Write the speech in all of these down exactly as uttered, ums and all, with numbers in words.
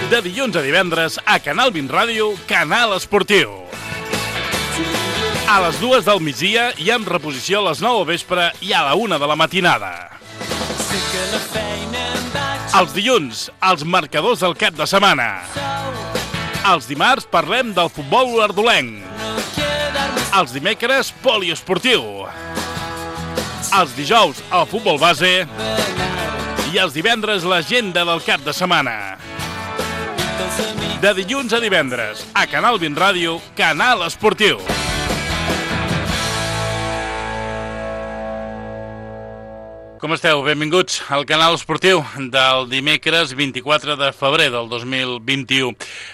De dilluns a divendres a Canal vint Ràdio, Canal Esportiu. A les dues del migdia i amb reposició a les nou al vespre i a la una de la matinada. Els dilluns, els marcadors del cap de setmana. Els dimarts parlem del futbol olordolenc. Els dimecres, poliesportiu. Els dijous, el futbol base. I els divendres, l'agenda del cap de setmana. De dilluns a divendres, a Canal vint Ràdio, Canal Esportiu. Com esteu? Benvinguts al Canal Esportiu del dimecres vint-i-quatre de febrer del dos mil vint-i-u.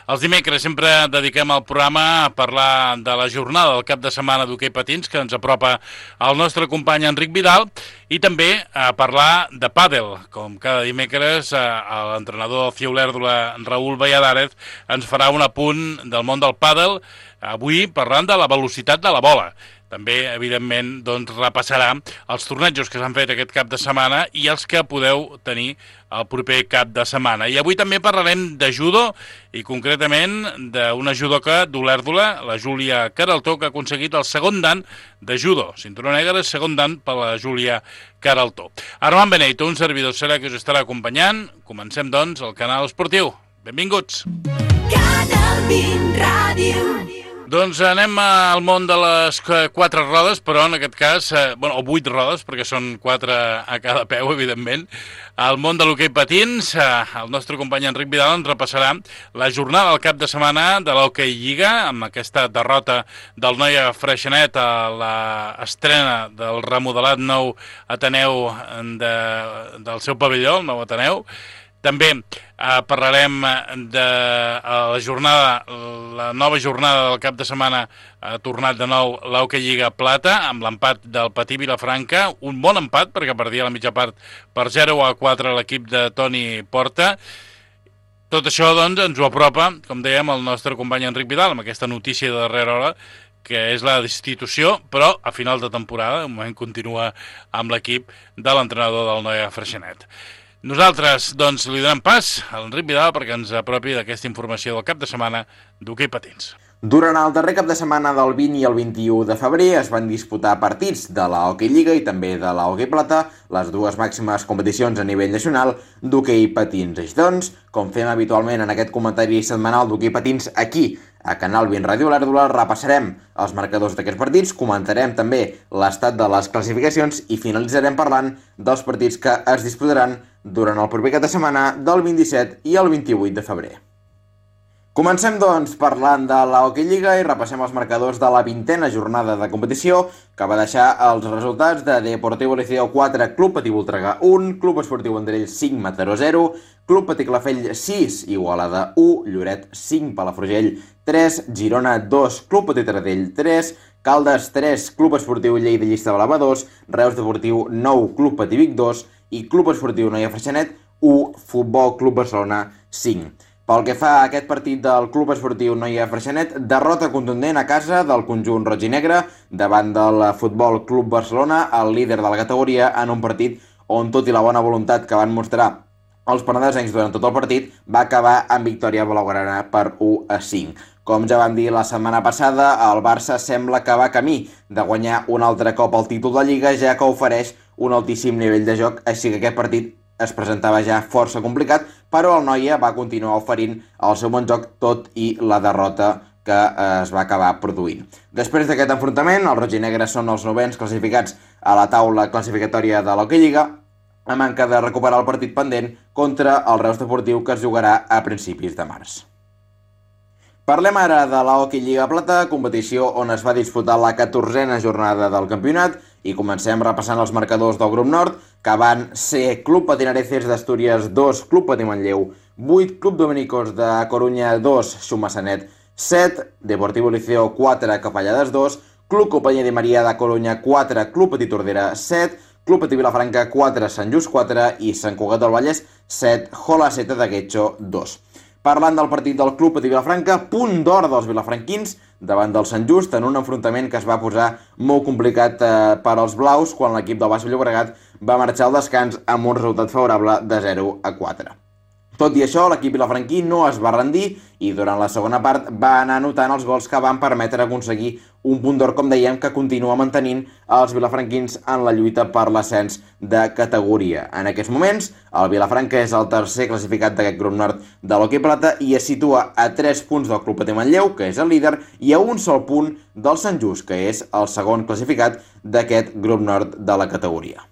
Els dimecres sempre dediquem el programa a parlar de la jornada del cap de setmana d'hoquei patins, que ens apropa el nostre company Enric Vidal, i també a parlar de pàdel. Com cada dimecres, l'entrenador del CIE Olèrdola, Raül Valladares, ens farà un apunt del món del pàdel, avui parlant de la velocitat de la bola. També, evidentment, doncs, repassarà els tornejos que s'han fet aquest cap de setmana i els que podeu tenir el proper cap de setmana. I avui també parlarem de judo i concretament d'una judoca d'Olèrdola, la Júlia Caraltó, que ha aconseguit el segon dan de judo. Cinturó negre, segon dan per la Júlia Caraltó. Armand Beneito, un servidor serà que us estarà acompanyant. Comencem, doncs, el Canal Esportiu. Benvinguts! Canal vint Ràdio. Doncs anem al món de les quatre rodes, però en aquest cas, eh, bueno, o vuit rodes, perquè són quatre a cada peu, evidentment. Al món de l'hoquei patins, eh, el nostre company Enric Vidal ens repassarà la jornada del cap de setmana de l'Hockey Lliga, amb aquesta derrota del Noia Freixenet a l'estrena del remodelat nou Ateneu de, del seu pavelló, el nou Ateneu. També eh, parlarem de la jornada, la nova jornada del cap de setmana, ha tornat de nou l'Hockey Lliga Plata, amb l'empat del Patí Vilafranca, un bon empat, perquè perdia la mitja part per zero a quatre l'equip de Toni Porta. Tot això, doncs, ens ho apropa, com dèiem, el nostre company Enric Vidal, amb aquesta notícia de darrera hora, que és la destitució, però a final de temporada, de moment continua amb l'equip de l'entrenador del Noia Freixenet. Nosaltres, doncs, li donem pas a l'Enric Vidal perquè ens apropi d'aquesta informació del cap de setmana d'hoquei patins. Durant el darrer cap de setmana del vint i el vint-i-u de febrer es van disputar partits de la Hockey Lliga i també de la Hockey Plata, les dues màximes competicions a nivell nacional d'hoquei patins. Així doncs, com fem habitualment en aquest comentari setmanal d'hoquei patins aquí, a Canal vint Ràdio Olèrdola, repassarem els marcadors d'aquests partits, comentarem també l'estat de les classificacions i finalitzarem parlant dels partits que es disputaran durant el proper cap de setmana del vint-i-set i el vint-i-vuit de febrer. Comencem, doncs, parlant de la Hockey Lliga i repassem els marcadors de la vintena jornada de competició, que va deixar els resultats de Deportivo Liceo quatre, Club Patí Voltregà un, Club Esportiu Vendrell cinc, Mataró zero, Club Patí Calafell sis, Igualada u, Lloret cinc, Palafrugell tres, Girona dos, Club Patí Taradell tres, Caldes tres, Club Esportiu Lleida Llista Blava dos, Reus Deportiu nou, Club Patí Vic dos i Club Esportiu Noia Freixenet u, Futbol Club Barcelona cinc. Pel que fa a aquest partit del Club Esportiu Noia Freixenet, derrota contundent a casa del conjunt roig i negre davant del Futbol Club Barcelona, el líder de la categoria, en un partit on, tot i la bona voluntat que van mostrar els penedesencs durant tot el partit, va acabar amb victòria blaugrana per u a cinc. Com ja vam dir la setmana passada, el Barça sembla que va camí de guanyar un altre cop el títol de Lliga, ja que ofereix un altíssim nivell de joc, així que aquest partit es presentava ja força complicat, però el Noia va continuar oferint el seu bon joc, tot i la derrota que es va acabar produint. Després d'aquest enfrontament, els roig i negres són els novens classificats a la taula classificatòria de l'Hockey Lliga, a manca de recuperar el partit pendent contra el Reus Deportiu, que es jugarà a principis de març. Parlem ara de la Hockey Lliga Plata, competició on es va disputar la catorzena jornada del campionat, i comencem repassant els marcadors del grup nord, que van ser Club Patinareces d'Astúries dos, Club Patí Manlleu vuit, Club Dominicos de Corunya dos, Xumassanet set, Deportivo Liceo quatre, Capellades dos, Club Companyia de Maria de Corunya quatre, Club Patí Tordera set, Club Patí Vilafranca quatre, Sant Just quatre i Sant Cugat del Vallès set, Jola set de Guetxo dos. Parlant del partit del Club Patí Vilafranca, punt d'or dels vilafranquins davant del Sant Just en un enfrontament que es va posar molt complicat eh, per als blaus quan l'equip del Baix Llobregat va marxar al descans amb un resultat favorable de zero a quatre. Tot i això, l'equip vilafranquí no es va rendir i durant la segona part va anar anotant els gols que van permetre aconseguir un punt d'or, com dèiem, que continua mantenint els vilafranquins en la lluita per l'ascens de categoria. En aquests moments, el Vilafranca és el tercer classificat d'aquest grup nord de l'Hoquei Plata i es situa a tres punts del Club Patí Manlleu, que és el líder, i a un sol punt del Sant Just, que és el segon classificat d'aquest grup nord de la categoria.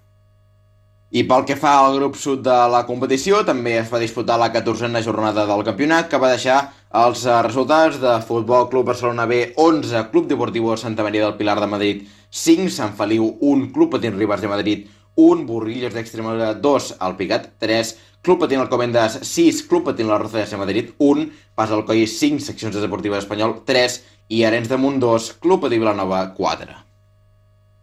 I pel que fa al grup sud de la competició, també es va disputar la catorzena jornada del campionat, que va deixar els resultats de Futbol Club Barcelona B onze, Club Deportivo Santa Maria del Pilar de Madrid cinc, Sant Feliu un, Club Patins Ribes de Madrid un, Burrillos d'Extremadura dos, Alpicat tres, Club Patín Alcobendas sis, Club Patín La Roza de Madrid un, Pas Alcoi cinc, Seccions Deportives Espanyol tres i Arenys de Munt dos, Club Patí Vilanova quatre.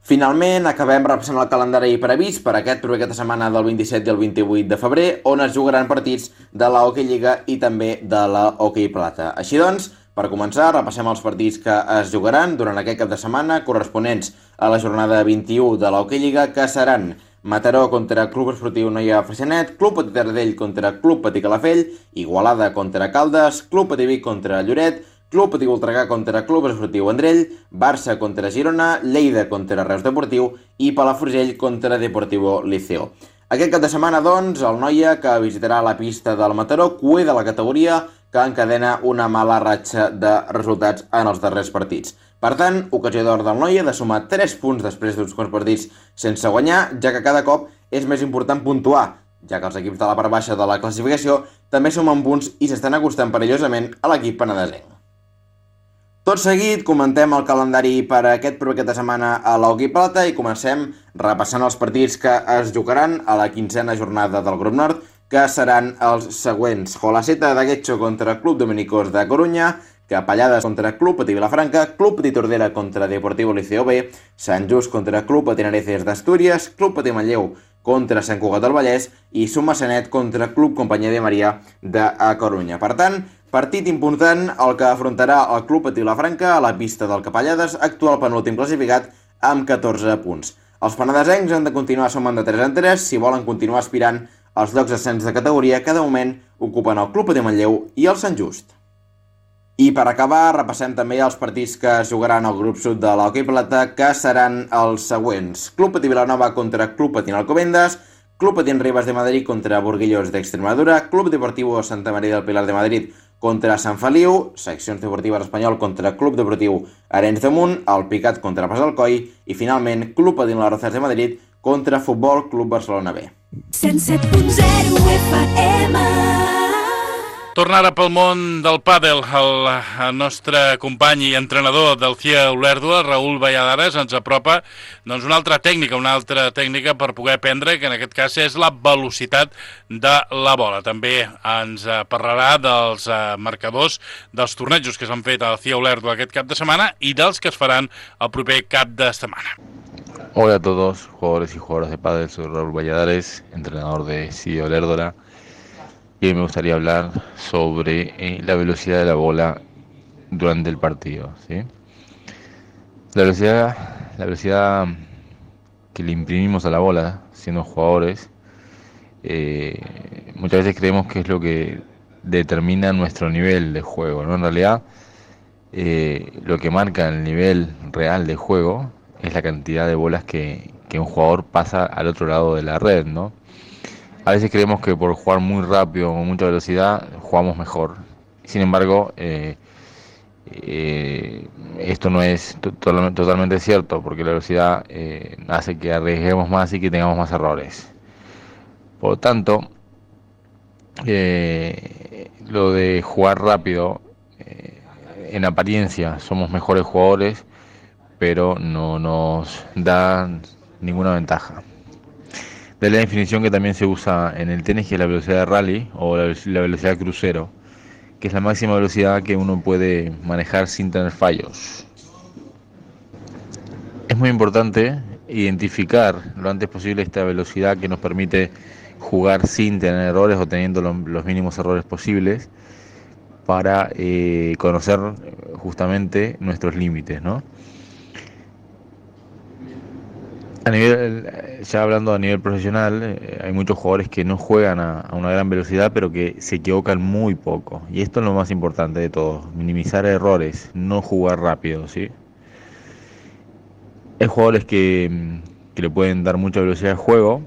Finalment, acabem repassant el calendari previst per aquest proper cap de setmana del vint-i-set i el vint-i-vuit de febrer, on es jugaran partits de la Hockey Lliga i també de la Hockey Plata. Així doncs, per començar, repassem els partits que es jugaran durant aquest cap de setmana corresponents a la jornada vint-i-u de la Hockey Lliga, que seran Mataró contra Club Esportiu Noia Freixenet, Club Patí Taradell contra Club Patí Calafell, Igualada contra Caldes, Club Patí Vic contra Lloret, Club Patí Voltregà contra Club Esportiu Vendrell, Barça contra Girona, Lleida contra Reus Deportiu i Palafrugell contra Deportivo Liceo. Aquest cap de setmana, doncs, el Noia, que visitarà la pista del Mataró, cué de la categoria, que encadena una mala ratxa de resultats en els darrers partits. Per tant, ocasió d'or del Noia de sumar tres punts després d'uns quants partits sense guanyar, ja que cada cop és més important puntuar, ja que els equips de la part baixa de la classificació també sumen punts i s'estan acostant perillosament a l'equip penedesenc. Tot seguit, comentem el calendari per a aquest proper cap de setmana a l'Hockey Plata i comencem repassant els partits que es jugaran a la quinzena jornada del grup nord, que seran els següents: Jolaceta de Guetxo contra Club Dominicos de Corunya, Capellades contra Club Patí Vilafranca, Club Patí Tordera contra Deportivo Liceo B, Sant Just contra Club Patí Nareces d'Astúries, Club Patí Manlleu contra Sant Cugat del Vallès i Sumassanet contra Club Companyia de Maria de Corunya. Per tant, partit important el que afrontarà el Club Patí Vilafranca a la pista del Capellades, actual penúltim classificat amb catorze punts. Els penedesencs han de continuar sumant de tres en tres si volen continuar aspirant als llocs d'ascens de categoria que de moment ocupen el Club Patí Manlleu i el Sant Just. I per acabar, repassem també els partits que es jugaran al grup sud de l'Hockey Plata, que seran els següents: Club Patí Vilanova contra Club Patín Alcobendas, Club Patín Ribes de Madrid contra Burguillos d'Extremadura, Club Deportivo Santa Maria del Pilar de Madrid contra Sant Feliu, Seccions Deportives Espanyol contra Club Deportiu Arenys de Munt, Alpicat contra Pas Alcoi i finalment Club Patín La Roza de Madrid contra Futbol Club Barcelona B. cent set punt zero F M. Tornar ara pel món del pàdel, el, el nostre company i entrenador del C I A Olèrdua, Raül Valladares, ens apropa doncs, una altra tècnica, una altra tècnica per poder aprendre, que en aquest cas és la velocitat de la bola. També ens parlarà dels marcadors dels tornejos que s'han fet al C I A Olèrdua aquest cap de setmana i dels que es faran el proper cap de setmana. Hola a todos, jugadores y jugadoras de pádel, soy Raúl Valladares, entrenador de C I A Olèrdua. Y me gustaría hablar sobre eh, la velocidad de la bola durante el partido, ¿sí? La velocidad, la velocidad que le imprimimos a la bola siendo jugadores, eh, muchas veces creemos que es lo que determina nuestro nivel de juego, ¿no? En realidad, eh, lo que marca el nivel real de juego es la cantidad de bolas que, que un jugador pasa al otro lado de la red, ¿no? A veces creemos que por jugar muy rápido o con mucha velocidad jugamos mejor. Sin embargo, eh, eh, esto no es to- totalmente cierto, porque la velocidad eh, hace que arriesguemos más y que tengamos más errores. Por lo tanto, eh, lo de jugar rápido, eh, en apariencia somos mejores jugadores, pero no nos da ninguna ventaja. De la definición que también se usa en el tenis, que es la velocidad de rally o la, la velocidad crucero, que es la máxima velocidad que uno puede manejar sin tener fallos. Es muy importante identificar lo antes posible esta velocidad que nos permite jugar sin tener errores o teniendo lo, los mínimos errores posibles para eh, conocer justamente nuestros límites, ¿no? A nivel, ya hablando a nivel profesional, eh, hay muchos jugadores que no juegan a, a una gran velocidad, pero que se equivocan muy poco. Y esto es lo más importante de todo, minimizar errores, no jugar rápido, ¿sí? Hay jugadores que, que le pueden dar mucha velocidad al juego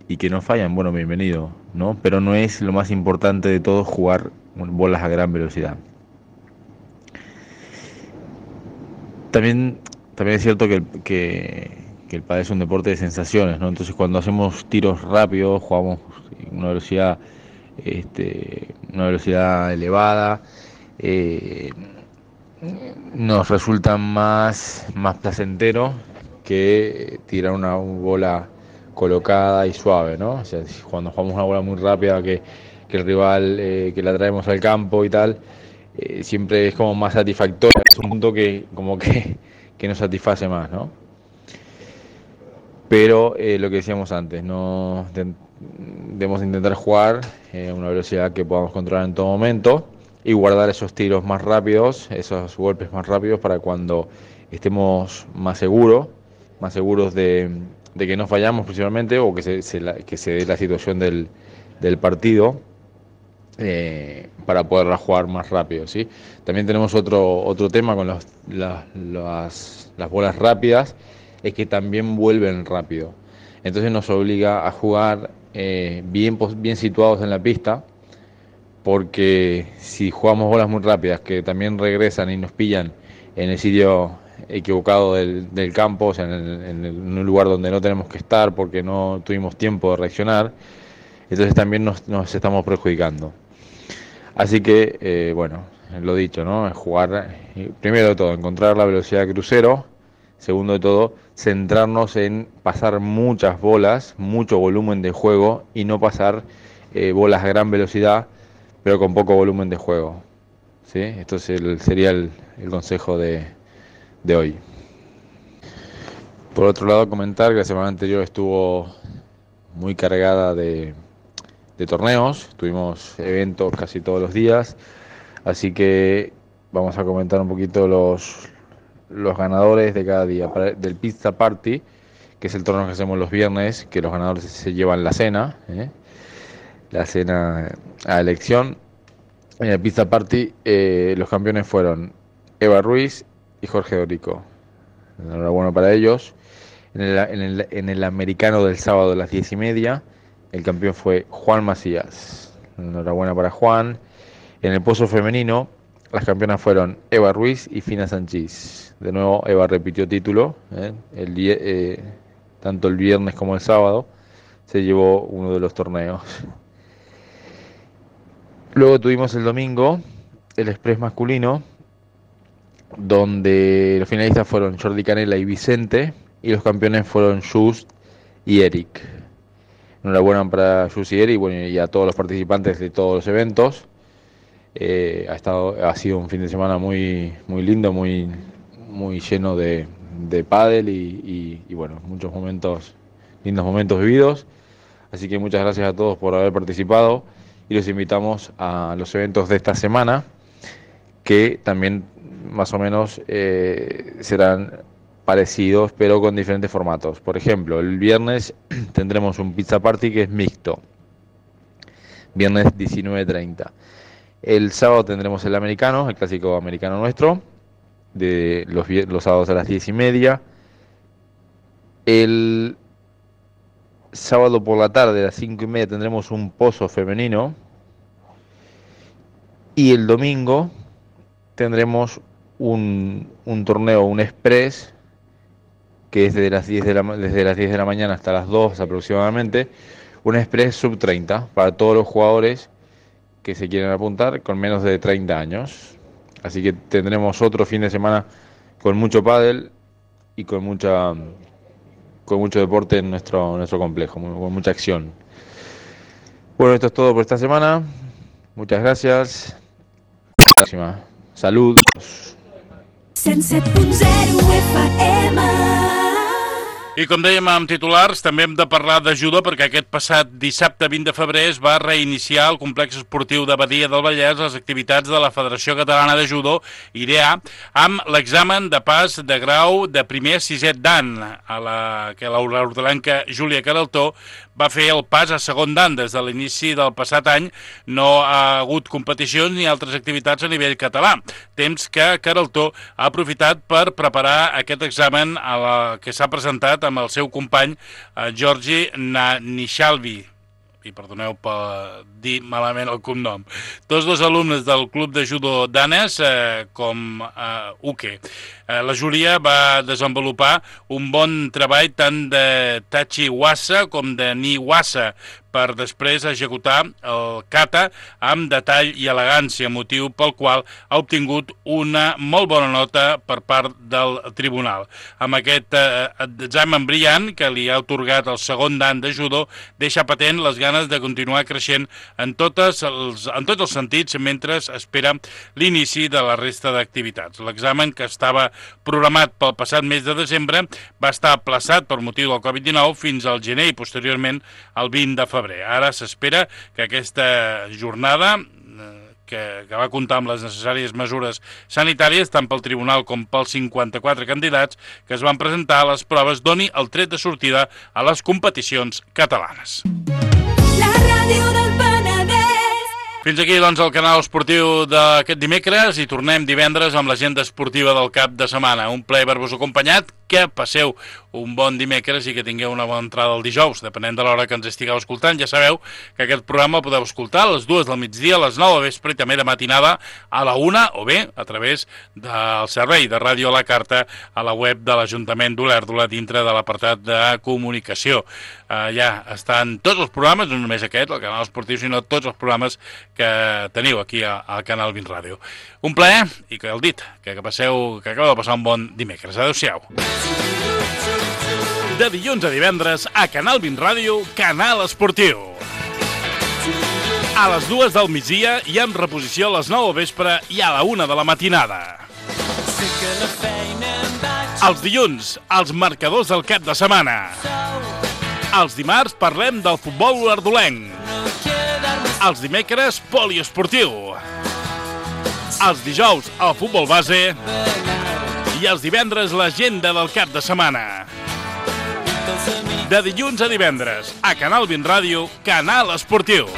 y que no fallan, bueno, bienvenido, ¿no? Pero no es lo más importante de todo jugar bolas a gran velocidad. También, también es cierto que, que que el pádel es un deporte de sensaciones, ¿no? Entonces cuando hacemos tiros rápidos, jugamos una velocidad, este, una velocidad elevada, eh, nos resulta más, más placentero que tirar una bola colocada y suave, ¿no? O sea, cuando jugamos una bola muy rápida que, que el rival, eh, que la traemos al campo y tal, eh, siempre es como más satisfactorio, es un punto que como que, que nos satisface más, ¿no? Pero eh, lo que decíamos antes, no debemos intentar jugar a eh, una velocidad que podamos controlar en todo momento y guardar esos tiros más rápidos, esos golpes más rápidos para cuando estemos más seguros, más seguros de, de que no fallamos principalmente o que se, se la, que se dé la situación del, del partido eh, para poderla jugar más rápido, ¿sí? También tenemos otro, otro tema con los, las, las, las bolas rápidas, es que también vuelven rápido. Entonces nos obliga a jugar eh, bien, bien situados en la pista, porque si jugamos bolas muy rápidas que también regresan y nos pillan en el sitio equivocado del, del campo, o sea, en, el, en, el, en un lugar donde no tenemos que estar porque no tuvimos tiempo de reaccionar, entonces también nos, nos estamos perjudicando. Así que, eh, bueno, lo dicho, ¿no? Jugar, primero de todo, encontrar la velocidad de crucero. Segundo de todo, centrarnos en pasar muchas bolas, mucho volumen de juego y no pasar eh, bolas a gran velocidad, pero con poco volumen de juego, ¿sí? Esto es el, sería el, el consejo de, de hoy. Por otro lado, comentar que la semana anterior estuvo muy cargada de, de torneos, tuvimos eventos casi todos los días, así que vamos a comentar un poquito los... los ganadores de cada día. Para, del Pizza Party, que es el torneo que hacemos los viernes, que los ganadores se llevan la cena, ¿eh? la cena a elección. En el Pizza Party eh, los campeones fueron Eva Ruiz y Jorge Dorico. Enhorabuena para ellos. En el, en, el, en el americano del sábado a las diez y media, el campeón fue Juan Macías. Enhorabuena para Juan. En el pozo femenino, las campeonas fueron Eva Ruiz y Fina Sanchís. De nuevo, Eva repitió título, ¿eh? el, eh, tanto el viernes como el sábado se llevó uno de los torneos. Luego tuvimos el domingo el Express masculino, donde los finalistas fueron Jordi Canela y Vicente, y los campeones fueron Just y Eric. Enhorabuena para Just y Eric, bueno, y a todos los participantes de todos los eventos. Eh, ha estado, ha sido un fin de semana muy, muy lindo, muy, muy lleno de, de pádel y, y, y bueno, muchos momentos, lindos momentos vividos. Así que muchas gracias a todos por haber participado y los invitamos a los eventos de esta semana, que también más o menos eh, serán parecidos, pero con diferentes formatos. Por ejemplo, el viernes tendremos un Pizza Party que es mixto, viernes diecinueve treinta. El sábado tendremos el americano, el clásico americano nuestro, de los, los sábados a las diez y media. El sábado por la tarde a las cinco y media tendremos un pozo femenino. Y el domingo tendremos un, un torneo, un express, que es desde las, diez de la, desde las diez de la mañana hasta las dos aproximadamente. Un express sub treinta para todos los jugadores que se quieren apuntar con menos de treinta años. Así que tendremos otro fin de semana con mucho pádel y con mucha con mucho deporte en nuestro nuestro complejo, con mucha acción. Bueno, esto es todo por esta semana. Muchas gracias. Hasta la próxima. Saludos. cent set punt zero F M I com dèiem amb titulars, també hem de parlar de judo perquè aquest passat dissabte vint de febrer es va reiniciar al complex esportiu de Badia del Vallès les activitats de la Federació Catalana de Judo, I D A, amb l'examen de pas de grau de primer a sisè dan, a la que l'hordalenca Júlia Queraltó va fer el pas a segon dan. Des de l'inici del passat any no ha hagut competicions ni altres activitats a nivell català, temps que Queraltó ha aprofitat per preparar aquest examen a la que s'ha presentat amb el seu company eh, Georgi Nanishalvi. I perdoneu per dir malament el cognom. Tots dos alumnes del club de judo danès eh, com eh, Uke. Eh, la Júlia va desenvolupar un bon treball tant de Tachi Wasa com de Ni Wasa per després executar el kata amb detall i elegància, motiu pel qual ha obtingut una molt bona nota per part del tribunal. Amb aquest eh, examen brillant que li ha atorgat el segon dan de judo, deixa patent les ganes de continuar creixent en, totes els, en tots els sentits mentre espera l'inici de la resta d'activitats. L'examen, que estava programat pel passat mes de desembre, va estar aplaçat per motiu del covid dinou fins al gener i posteriorment al vint de febrer. Ara s'espera que aquesta jornada, que, que va comptar amb les necessàries mesures sanitàries tant pel tribunal com pels cinquanta-quatre candidats que es van presentar a les proves, doni el tret de sortida a les competicions catalanes. La ràdio del Penedès. Fins aquí, doncs, el canal esportiu d'aquest dimecres i tornem divendres amb l'agenda esportiva del cap de setmana. Un plaer haver-vos acompanyat, que passeu un bon dimecres i que tingueu una bona entrada el dijous, depenent de l'hora que ens estigueu escoltant. Ja sabeu que aquest programa el podeu escoltar a les dues del migdia, a les nou a vespre i també de matinada a la una, o bé a través del servei de ràdio a la carta a la web de l'Ajuntament d'Olèrdola dintre de l'apartat de comunicació. Uh, ja estan tots els programes, no només aquest, el canal esportiu, sinó tots els programes que teniu aquí al Canal vint Ràdio. Un plaer i que el dit, que passeu, que acabeu de passar un bon dimecres. Adéu-siau. De dilluns a divendres a Canal vint Ràdio, Canal Esportiu. A les dues del migdia i amb reposició a les nou al vespre i a la una de la matinada. Els dilluns, els marcadors del cap de setmana. Els dimarts parlem del futbol olèrdolenc. Els dimecres, poliesportiu. Els dijous, el futbol base. I els divendres, l'agenda del cap de setmana. De dilluns a divendres, a Canal vint Ràdio, Canal Esportiu.